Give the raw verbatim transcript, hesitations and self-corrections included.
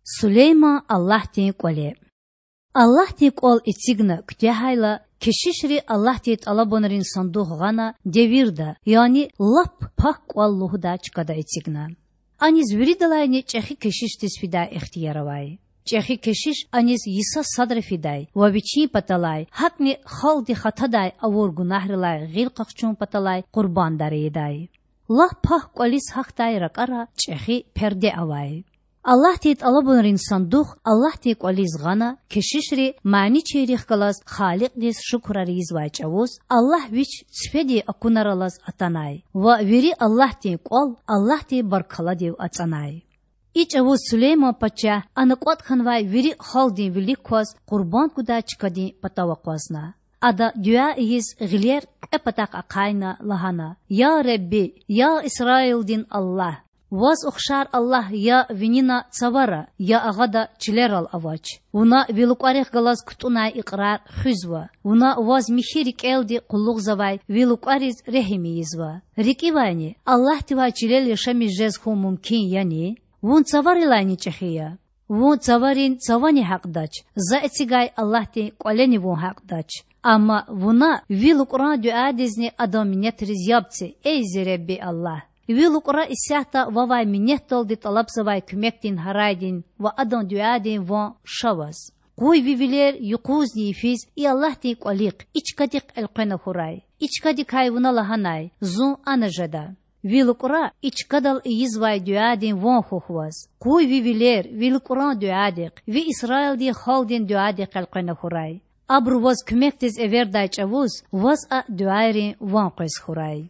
Сулейман Аллагьдин кІвале. Аллагьдин кІвал эцигна куьтягьайла, кешишри Аллагьдин тІалабунрин сандух гъана девирда, яни Лап Пак КІвал лугьудай чкада эцигна. Аниз виридалайни чІехи кешишдиз фидай ихтияр авай. ЧІехи кешиш аниз йиса садра фидай ва вичин паталай, гьакІни халкьди хатадай авур гунагьрилай гъил къахчун паталай къурбандар ийидай. Лап Пак КІвализ гьахьдай ракІара чІехи перде авай. Аллагьдин тІалабунрин сандух Аллагьдин кІвализ гъана, кешишри маничийрихъ галаз Халикьдиз шукурар ийизвай чІавуз Аллагь Вич цифедин акунар алаз атанай ва вири Аллагьдин кІвал Аллагьдин баркалладив ацІанай. И чІавуз Сулейман пачагь ана кІватІ хьанвай вири халкьдин вилик кваз къурбанд гудай чкадин патав акъвазна. Ада дуьа ийиз гъилер кьве патахъ ахъайна лагьана: Я Худа, я Исраилдин Аллагь! Ваз ухшар Аллагь я винина цавара, я агъада чилерал авач. Вуна Ви лукІарихъ галаз кутІунай икьрар хуьзва. Вуна Ваз михьи рикІелди къуллугъзавай Ви лукІариз регьим ийизва. РикІивайни, Аллагьдивай чилел яшамиш жез хьун мумкин яни? Вун цаварилайни чІехи я. Вун цаварин цавани гьакьдач, За эцигай Аллагьдин кІвалени вун гьакьдач. Амма Вуна Ви лукІран дуьадизни адан минетриз яб це, эй зи Худа Аллагь! Ви лукІра исятда Вавай минетдалди тІалабзавай куьмекдин гьарайдин ва адан дуьадин ван ша Ваз. Къуй Ви вилер юкъузни йифиз и Аллагьдин кІвалихъ, и чкадихъ элкъвена хьурай. И чкадикай Вуна лагьанай: Зун ана жеда. Ви лукІра и чкадал ийизвай дуьадин ван хьухь Ваз. Къуй Ви вилер Ви лукІран дуьадихъ, Ви Исраилдин халкьдин дуьадихъ элкъвена хьурай. Абуру Ваз куьмекдиз эвердай чІавуз Ваз а дуьайрин ван къвез хьурай.